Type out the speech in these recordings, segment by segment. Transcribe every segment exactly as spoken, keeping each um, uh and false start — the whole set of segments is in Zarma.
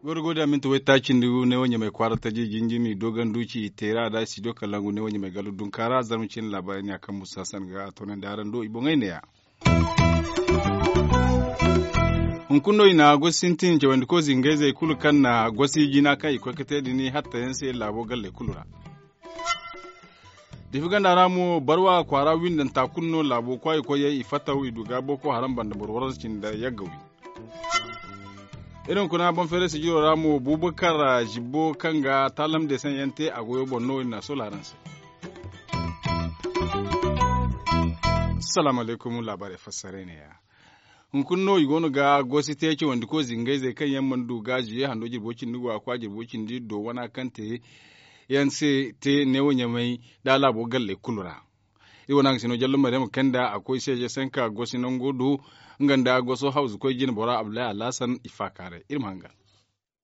Gorgo da minti waytaaci nda ne wo ɲamay kwaara taji jinjimi doogandu ci teera da studio kalangu ne wo ɲamay gallu dunkaara zarma cine laabaari ne a kaŋ musa san ga a toonandi araŋ do i boŋey neeya. Hunkuna no i na gosi sintin cawandi ko zingayzey kulu kaŋ na gosi jina kaŋ i koy ga te din hatta yaŋ se laabo galley kulu ra. Difi ganda ra mo barwa kwaara windanta kulu no laabo kwaayi koyey i fattaw i du ga boko haram banda boro waransa cindi yagga wi. Iri hunkuna boŋ feeray sijiro ra mo bubakar zibbo kaŋ ga taalam deesaŋ yaŋ te a goyo boŋ no i na a soola araŋ se. Salaamu alaykum laabaarey fassaray neeya. Hunkuna no i go no ga gosi te cawandi ko zingayzey kaŋ yaŋ mana du ga zuye hando jirbo cindi go a kwa jirbo cindi do wana kaŋ te yaŋ se te neewo ɲamay da laabo galley kulu ra. Iri wane haŋ ga si no jallo mariyama kaŋ nda a koy seeje sanka gosi nango do nga nda goso hawzu koy jine bora abdullahi alhasan i faakaaray iri ma hangan.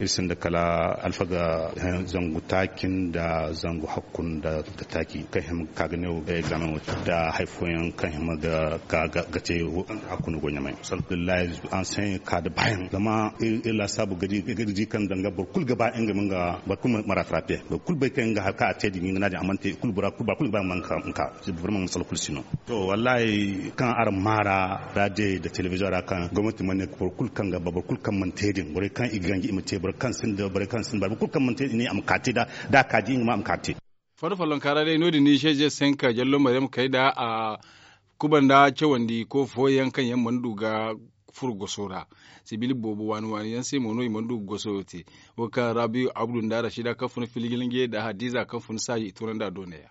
Iri sinda kala alfaga zangu taaci nda zangu hakku nda taaci kaŋ hima ga ka ga ne wo ga examen wo te nda hari fooyaŋ kaŋ hima ga ka ga te hakku no go ɲamay alhamdulillahi. Anseyaŋ ka nda baayaŋ zama iri laasaabu ga di kaŋ danga boro kulu ga ba nga ma nga boro kulu ma rattrape boro kulu bay kaŋ nga hari kaŋ a te din nga no a din a mana te kulu bora kulu ba kulu ga ba nga ma nga ka. Vraiment masala kulu si no. To wallahi kaŋ araŋ maara radio nda television ra kaŋ gomnati mana ne boro kulu kaŋ ga ba boro kulu kaŋ mana te din borey kaŋ i ga ganji i ma te borey kaŋ sinda borey kaŋ sinda boro kulu kaŋ mana te din ne a ma ka te da da a ka di nga ma a ma ka te. Fondo follonka ra day no- din ni seeje senka jallo maryam kay da a kubanda cawandi ko fooyaŋ kaŋ yaŋ mana du ga furo goso ra. Sibil boobo waani waani yaŋ se mo no i mana du ga goso te. Wo kaŋ rabiyu abdu nda rashida kaŋ fun filijilnge nda hadiza kaŋ fun saaji i tunandi a do neeya.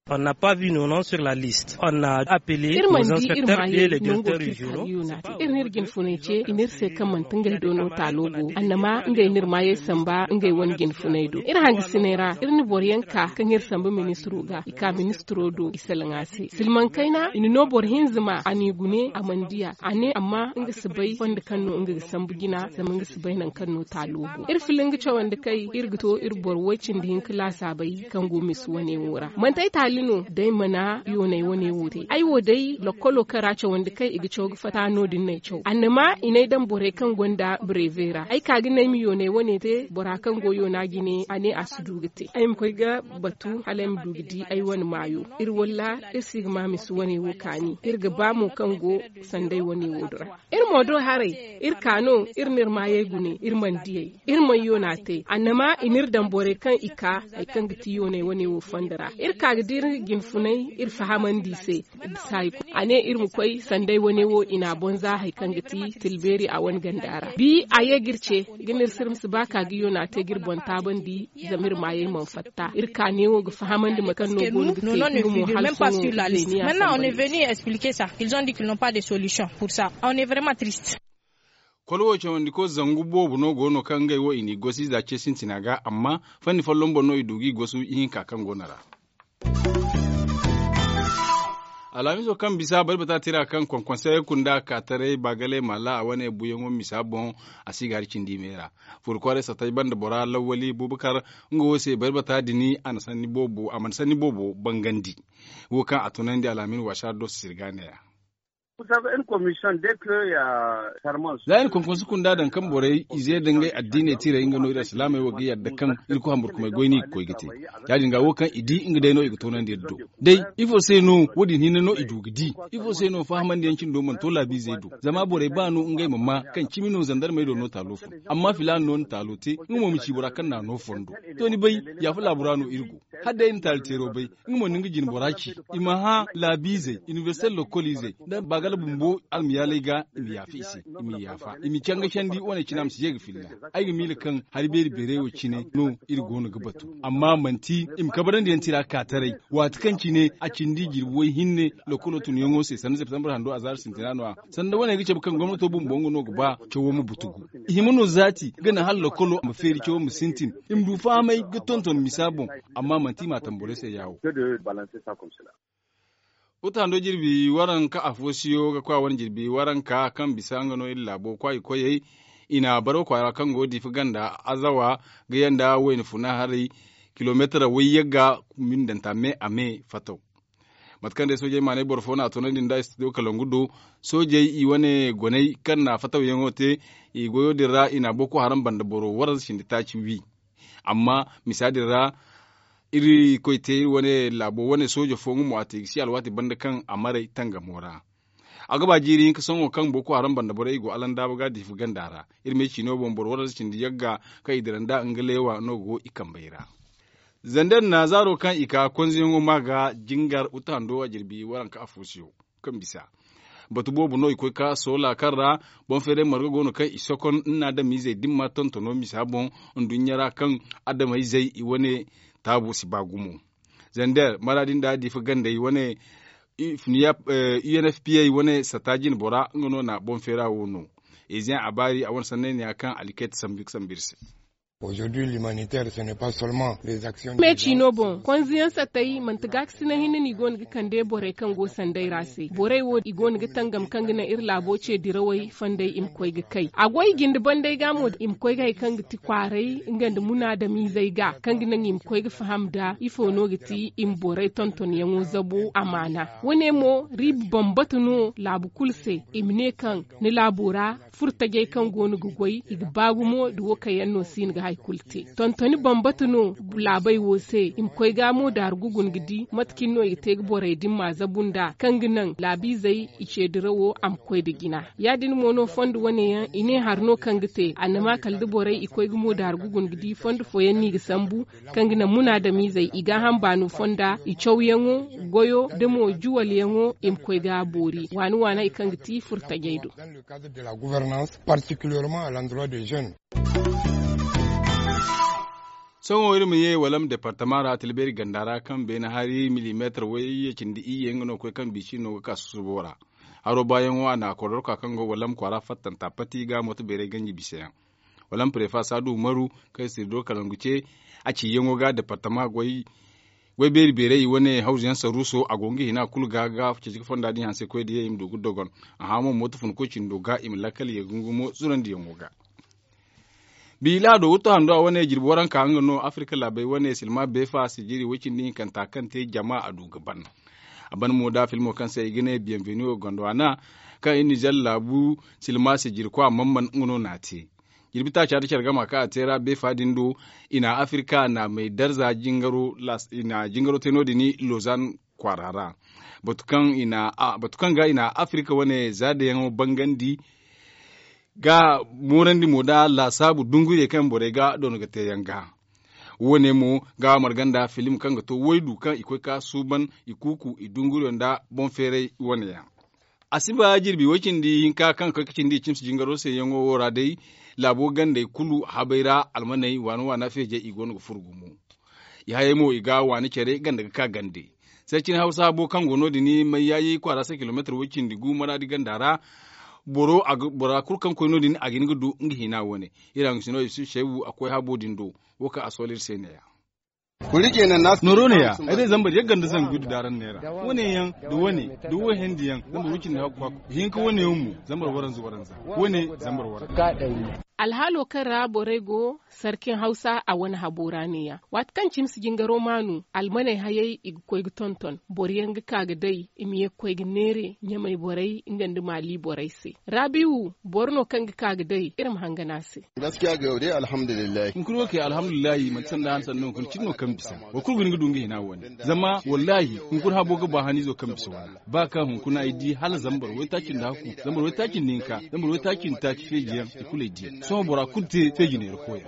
On n'a pas vu nos noms sur la liste on n'a appelé iri mana di iri ma ye nango kaŋ i ka ga yoona te iri n'iri jinfunay ce i n'iri se kaŋ manti ngey do no taalo go annama ngey n'iri maayey samba ngey wane jinfunay do iri hangasinay ra iri na boro yaŋ ka kaŋ iri samba ministiro ga i ka ministiro do i salaŋ a se silmaŋ kayna i na no boro hinza ma a n'i gune a mana di a a ne amma nga si bay fondo kaŋ no nga ga sambu jina zama nga si bay nangu kaŋ no taalo go iri fila nga cawandi kay iri ga to iri boro way- cindi hinka laasaabay kaŋ go misa wane wo ra manti ay taali no da ay mana yoonay wane wo te ay wo day lokkolo kaŋ ra cawandi kaŋ i ga caw ga fatta no- din no ay caw annama i n'ay daŋ borey kaŋ gonda bareeve ra ay ka ga ne ay ma yoonay wane te bora kaŋ go yoona jine a ne a si du ga te ay ma koy ga batu hala ay ma du ga di ay wane maayo iri walla iri si ga ma misa wane wo kaani iri ga ba mo kaŋ go sanda ay wane wo din ra iri mo do haray iri ka no iri n'iri maayey gune iri mana diyey iri mana yoona te annama i n'iri daŋ borey kaŋ i ka hari kaŋ ga ti yooney wane wo fondo ra iri ka ga di iri jinfunay iri fahamandi i se bisa hari kulu a ne iri ma koy sanda ay wane wo i n'a bonza hari kaŋ ga ti tilbeeri a wane ganda ra bi a ye ga iri ce ga n'iri sirma si ba ka ga yoona te ga iri boŋ taabandi zama iri maayey mana fatta iri ka neewo ga fahamandi mate kaŋ no go no ga te nga mo hala sohõ zeeniya sambandi. Kolo wo cawandi ko zangu boobo no go no kaŋ ngey wo i n'i gosi za ce sintina ga amma fanni folloŋ boŋ no i du g'i gosu ihinka kaŋ go no ra. Alhamiso kaŋ bisa bari bata tira kaŋ konkonse kunda ka taray baagalay maala a wane buyaŋo misa boŋ a si ga hari cindi meera furo kwaaray satay banda bora lawwali bubakar nga wo se bari bata dini a mana sanni boobo bangandi. Wo kaŋ a tunandi alhamin waasa do sirga neeya. Za iri konkonse kunda daŋ kaŋ borey ize da ngey addiiney tiray nga no iri alsilaamey wo ga yadda kaŋ iri koy hamburkumay goy no i ga koy ga te. Ya- din ga wo kaŋ i di nga day no i ga toonandi iri do. Day ifo se no wo- din hinne no i du ga di? Ifo se no fahamandi yaŋ cine do mana to laabiizey do zama borey ba no ngey ma ma kaŋ cimi no zandarmey do no taalo fun amma filaana no na taalo te nga mo ma ci bora kaŋ n'a no fondo. To ni bay, yaafa laabu ra no iri go. Hala day iri na taali teero bay, nga mo na nga jine bora ci. I ma hã laabiizey inibersite lokkoliizey nda baagala bumbo almayaaley ga i ma yaafa i se. I ma yaafa i ma canga candi wane cine a ma si ye ga filla. Ay ga miila kaŋ hari beeri beeray wo cine no iri go no ga batu. Amma manti i ma kabarandi yaŋ tira ka taray waati kaŋ cine a cindi jirbi way hinne lokkolo tunyaŋo se sanda septembre hando azaari sintina no- ya. Sanda wane ga cabe kaŋ gomnato bumbo nga no ga ba cawo ma butugu. I hima no zaati ga naŋ hala lokkolo ma feeri cawo ma sintin. I ma du fahamay ga tonton misa boŋ. Amma manti i m'a tamborey se ya- wo. Uta hando jirbi waranka afo siyo ga kwa wane jirbi waranka kaŋ bisa nga no iri laabo kwaayi koyey. I na baro kwaara kaŋ go diifa ganda azawa ga yanda wayna funa haray. kilomeetara way yagga mindanta me a me fataw. Mate kaŋ day soojey maanay boro fo no a toonandi nda studio kalangu do, soojey i wane goney kaŋ na fatawyaŋo te, i goyo din ra i na boko haram banda boro waranza cindi taaci wi. Amma misa din ra, iri koy te iri wane laabo wane sooja fo nga mo a te i ga si alwaati banda kaŋ a maray tangamo ra. A ga ba jiiri hinka sohõ kaŋ boko haram banda borey i go alandaaba ga diifa ganda ra. Iri ma ay ciino boŋ boro waranza cindi yagga kaŋ i dira nda nga leewa no go i kambey ra. Zander na zaaro kaŋ i ka konzeyaŋo ma ga jingar uta hando a jirbi waranka afo siyo kaŋ bisa. Batu boobo no i koy ka soola kaŋ ra boŋ feeray marga go no kaŋ i sokon nna adamizey dimma tontono misa boŋ nduɲɲa ra kaŋ adamayzey i wane taabo si ba gumo. Zander maraadi nda diifa gandey wane unfpa wane sata jine bora nga no na boŋ feera wo no. Eziyaŋ a baari a wane sanney neeya kaŋ alikeet sambu ga sambu iri se. Me ciino boŋ konziyaŋ satay manti gaakasinay hinne no i go no ga kande borey kaŋ go sanday ra se borey wo i go no ga tangam kaŋ ga naŋ iri laabo ce dirawey fondey i ma koy ga kay a goy jinde banday ga mo i ma koy ga hari kaŋ ga ti kwaaray nga nda munaadamizey ga kaŋ ga naŋ i ma koy ga faham nda ifo no ga ti i ma borey tontonyaŋo zabu amaana. Wane mo riiba bambata no laabu kulu se i ma ne kaŋ ni laabo ra furtajey kaŋ go no ga goy i ga ba gumo da wo kaŋ yaŋ no si no ga hari kulu te tontoni bambata no. Laabey wo se i ma koy ga mo daaru ga guna ga di mate cine no i ga te ga borey din ma zabu nda kaŋ ga naŋ laabiizey i ce dirawo a ma koy nda jina. Ya- din mo no fondo wane yaŋ i ne hari no kaŋ ga te annama kala da borey i koy ga mo daaru ga guna ga di fondo fooyaŋ no i ga sambu kaŋ ga naŋ munaadamiizey i gaaham baano fonda i cawyaŋo goyo da mo juwalyaŋo i ma koy ga boori waani waani hari kaŋ ga ti furtajey do. Sohõ iri ma ye walam departama ra tilbeeri ganda ra kaŋ beene hari milimeetar wayye cindi iyye nga no ga koy kaŋ biisi no ga ka susubo ra. Haro baayaŋo a na kordorka kaŋ go walam kwaara fattanta pati ga moto beeray ganji biseyaŋ. Walam prefa saadu umaru kaŋ sirdo kalangu ce a ciyaŋo ga departama goy beeri beeray i wane hawzu yaŋ saruuso a go nga hina kulu ga ga ceeci ga fonda din hanse koy da ye i ma du ga dogon. A hã mo moto fun koy cindo ga i ma lakkal ye gungumo zurandiyaŋo ga. Biila do wurto hando a wane jirbi waranka nga no afirka laabey wane silma beefa sijiri way cindi hinkanta kaŋ te jama a du ga ban. A ban mo da filmo kaŋ se i ga ne bienvenu gondwana kaŋ i nizer laabu silma sijiri kwa mamman nga no na te. Jirbi taaca da care gama kaŋ a te ra beefa din do i na afirka na may darza jingaro te no- din lozan kwaara ra. Batu kaŋ ga i na afirka wane zaadayaŋo bangandi ga moorandi mo da laasaabu dunguriyey kaŋ borey ga doona ga te yaŋ ga. Wo- ne mo ga marga nda filim kaŋ ga to waydu kaŋ i koy ga suuban i kuuku i dunguriyo nda boŋ feeray wane yaŋ. A si ba jirbi way cindi hinka kaŋ ga koy ga cindi i cimsi jingaro se yaŋo wo ra day. Laabo gandey kulu habay ra almaney waana waana feejey i go no ga furo gumo. I hayey mo i ga waani care ganda ga ka gande. Sarcin hawsa habo kaŋ go no- din mayyaayi kwaara se kilomeetar way cindi gu maraadi ganda ra. Bora kulu kaŋ koy no- din a ga hin ga du nga hina wane. Iri haŋ ga sino yusuf seebu a koy habo din do. Wo kaŋ a sola iri se ne- ya. Nooro ne- ya ay day zambar yagga nda zangu da daaraŋ neera. Wane yaŋ da wane da wo hendi yaŋ zambar way cindi hakku hakku. Hinka wane yaŋ mo zambar waranza waranza. Wane zambar waranza. Alhaalo kaŋ ra borey go sarkin hawsa a wane habo ra ne- ya waati kaŋ cimsi jingaro maanu almaney hayey i ga koy ga tonton boro yaŋ ga ka ga day i ma ye ga koy ga neere ɲamey borey nga nda maali borey se. Raabiiwu boro no kaŋ ga ka ga day iri ma hangan a se. Hunkuna wo kay alhamdulillahi manti sanda han sanno hunkuna cine no kaŋ bisa. Boro kulu ga hin ga du nga hina wane zama wallahi hunkuna habo ga ba haniizo kaŋ bisa wane. Ba kaŋ hunkuna ay di hala zambar waytaaci nda hakku zambar waytaaci nda hinka zambar waytaaci nda taaci feeji yaŋ i kulu ay di yaŋ sohõ bora kulu te feeji neera fooyaŋ.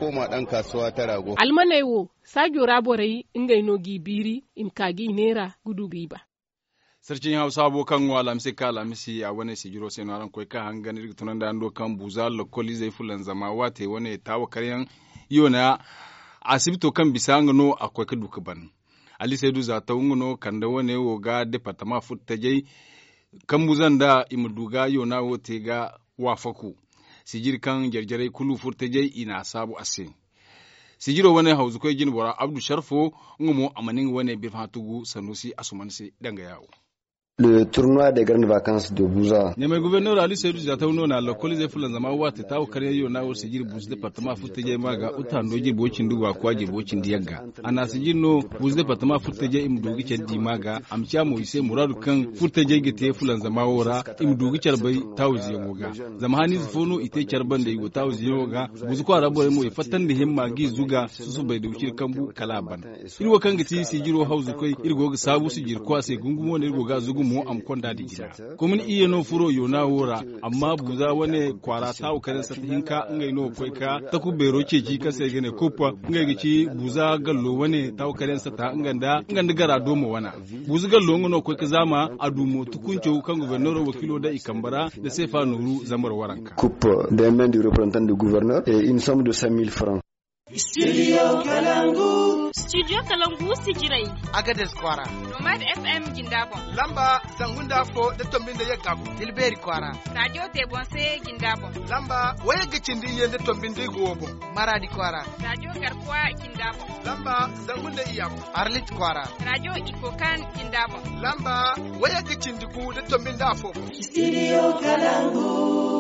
Almaney wo saajo ra borey ngey no g'i biiri i ma ka g'i neera ga du g'i ba. Sarciyaŋ hawsa habo kaŋ go alhamisi ga ka alhamisi a wane sijiro se no araŋ ga koy ga ka hangan iri ga tunandi araŋ do kaŋ buuza lokol izey fulanzama waate wane taawa karyaŋ yoona asibito kaŋ bisa nga no a ga koy ga du ga ban. Ali saydu za taw nga no kande wane wo ga departama furtajey kambu zanda i ma du ga yoona wo te ga waafaku. Sijiri kaŋ jare-jarey kulu furtajey i na a saabu a se. Sijiro wane hawzukoy jinbora abdu sharfo nga mo a mana nga wane birfahã tugu sanusi asuman se danga yaawo. Le tournoi de grande vacances de buza. Ɲamay gouverneur ali seedu ziyataw no na lokol izey fulanzama waate taawo karyaŋ yo na war sijiri buusu departama furtajey ma ga uta hando jirbo cindi waakwa jirbo cindi yagga. A na sijiri no buusu departama furtajey i ma du ga care di ma ga a ma ciya mo i se muraadu kaŋ furtajey ga te fulanzama wo ra. I ma du ga care bay taawo ziyaŋo ga. Zama haniize fo no i te care banda i go taawo ziyaŋo ga. Buusu kwaara borey mo i fattandi himma ga i zuga susubay da wiciri kambu kala a ban. Iri wo kaŋ ga ti sijiro hawzukoy iri go ga saabu sijiri kwa se gungumo no iri go ga zugu mo a ma konda da jina. Komini iyye no furo yoona wo ra. Amma buuza wane kwaara taawu kare sata hinka ngey no ga koy ka taku beero ceeci kaŋ se i ga ne kuppa. Ngey ga ci buuza gallo wane taawu kare sata nga nda gara doomo wana. Buuza gallo nga no ga koy ka zaama a du mo tukunco kaŋ gobornero wakiilo daŋ i kambe ra nda seefa nooru zambar waranka. Kuppa de men du reprezentant du gouverneur et une somme de cent mille francs. Studio kalangu. Studio kalangu sijiray. Agades kwaara. Nomad fm jinda boŋ. Lamba zangu nda afo nda tombi nda yagga boŋ. Tilbeeri kwaara. Radio tebonse jinda boŋ. Lamba wayagga cindi iyye nda tombi nda igo wo boŋ. Maradi kwaara. Radio garkuwa jinda boŋ. Lamba zangu nda iyya boŋ. Arlit kwaara. Radio ikokan jinda boŋ. Lamba wayagga cindi gu nda tombi nda afo boŋ. Studio kalangu.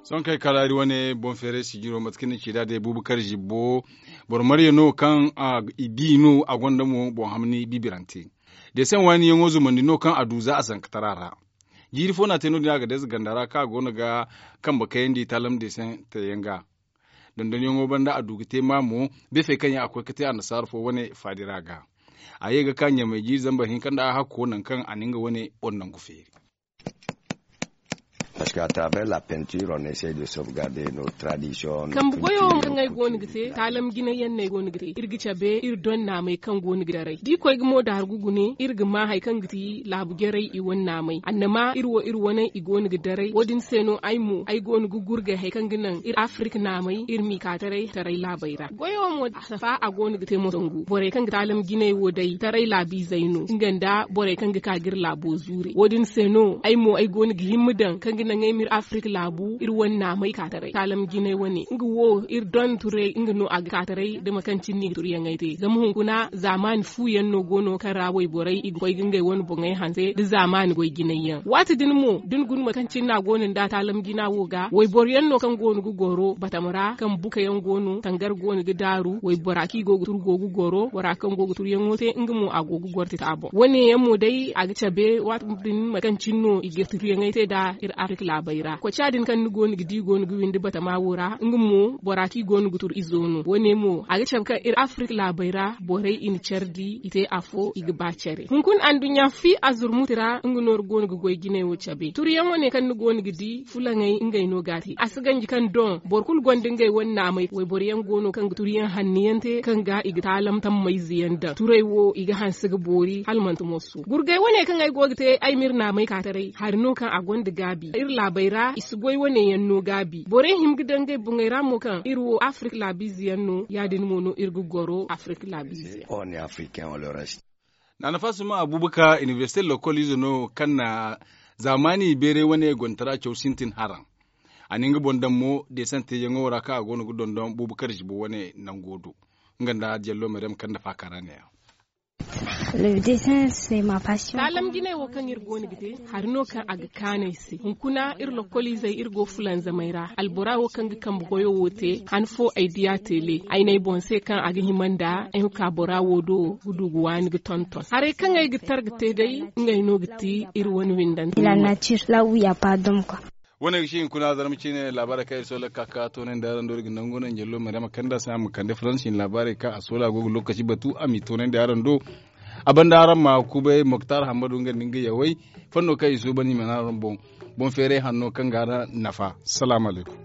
Sohõ kaŋ ay kalaari wane boŋ feeray sijiro mate kaŋ ni ci nd'a day buubu kar zibbo. Boro marya no kaŋ i di no a gonda mo boŋ hamni bibirante. Deeseŋ waani yaŋo zumandi no kaŋ a du za a zankatara ra. Jiiri fo no a te no- din a ga deeze ganda ra kaŋ a go no ga kambe kayandi taalam deeseŋ te yaŋ ga. Dondonyaŋo banda a du ga te ma mo. Beefey kaŋ yaŋ a koy ga te annasaara fo wane faadira ga. A ye ga ka ɲamay jiiri zambar hinka nda a hakko nangu kaŋ a na nga wane boŋ nangu feeri. Parce que à travers la peinture on essaie de sauvegarder nos traditions. Kambe goyo kaŋ ay go no ga te taalam jinay yaŋ no ay go no ga te iri ga cabe iri don naamay kaŋ go no ga daray da i koy ga mo daaru ga gune iri ga ma hari kaŋ ga ti laabu jarey i wane naamay annama iri wo iri wane i go no ga daray wo- din se no ay mo ay go no ga gurgay hari kaŋ ga naŋ iri afirika naamay iri m'i ka taray taray laabey ra goyo mo safa a go no ga te mo sangu borey kaŋ ga taalam jinay wo day taray laabiizey no nga nda borey kaŋ ga ka ga iri laabo zuure wo- din se no ay mo ay go no ga himma daŋ kaŋ ga naŋ ay ma iri afirika laabu iri wane naamay ka taray taalam jinay wane nga wo iri don turay nga no a ga ka taray da mate kaŋ cine no i ga turyaŋey te zama hunkuna zaamaani fu yaŋ no go no kaŋ ra wayborey i ga koy ga ngey wane boŋey hanse da zaamaani goy jinay yaŋ waati din mo da ni guna mate kaŋ cine no a go no nda taalam jina wo ga wayboro yaŋ no kaŋ go no ga goro batama ra kaŋ buka yaŋ go no tangar go no ga daaru waybora kaŋ i go ga turu go ga goro bora kaŋ go ga turuyaŋo te nga mo a go ga goro tita boŋ wane yaŋ mo day a ga cabe waati din mate kaŋ cine no i ga turuyaŋey te nd'a iri afirika laabey ra koca din kaŋ ni go no ga di go no ga windi batama wo ra nga mo bora kaŋ i go no ga turu izo no wane mo a ga cabe kaŋ iri afirika laabey ra borey i na care di i te afo i ga ba care hunkuna anduɲɲa fi azurmuti ra nga nooru go no ga goy jinay wo cabe turuyaŋ wane kaŋ ni go no ga di fulaŋey ngey no ga a te a si ganji kaŋ doŋ boro kulu gonda ngey wane naamay wayboro yaŋ go no kaŋ ga turuyaŋ hanno yaŋ te kaŋ ga i ga taalam tammayze yaŋ daŋ turay wo i ga hanse ga boori hala manti moso gurgay wane kaŋ ay go ga te ay ma iri naamay ka taray hari no kaŋ a gonda gaabi iri laabey ra i si goy wane yaŋ no gaabi borey hima ga daŋ ngey boŋey ra mo kaŋ iri wo afirika laabiize yaŋ no ya- din mo no iri ga goro afirika laabiize yaŋ. Naana faasuma abuubakar inibersite lokol ize no kaŋ na zaamaani beeray wane gontara caw sintin haraŋ. A na nga boŋ daŋ mo deesante yaŋo ra kaŋ a go no ga dondon buubu kar zibo wane nango do nga nda jallo maryam kaŋ nda faakara ne yaŋ. Taalam jinay wo kaŋ iri go no ga te hari no kaŋ a ga kaanu ay se hunkuna iri lokoliizey iri go fulanzamey ra albora wo kaŋ ga kambe goyo wo te han fo ay diya tele ay n'ay boŋ se kaŋ a ga hima nda ay ma ka bora wo do ga du ga waani ga tonton haray kaŋ ay ga tar ga te day ngey no ga ti iri wane windante. Wane ga si hinkuna zarma ciine laabaarey kaŋ iri soola ga ka ka toonandi araŋ do iri ga nangu no njallo maryama kanda sina ma kande faransi laabaarey kaŋ a soola go ga lokaci batu a m'i toonandi araŋ do. A banda araŋ ma kubay moktar hammadu nga nda nga yawey fanno kaŋ i suuban i mana araŋ boŋ boŋ feeray hanno kaŋ ga araŋ nafa. Salaamu alaykum.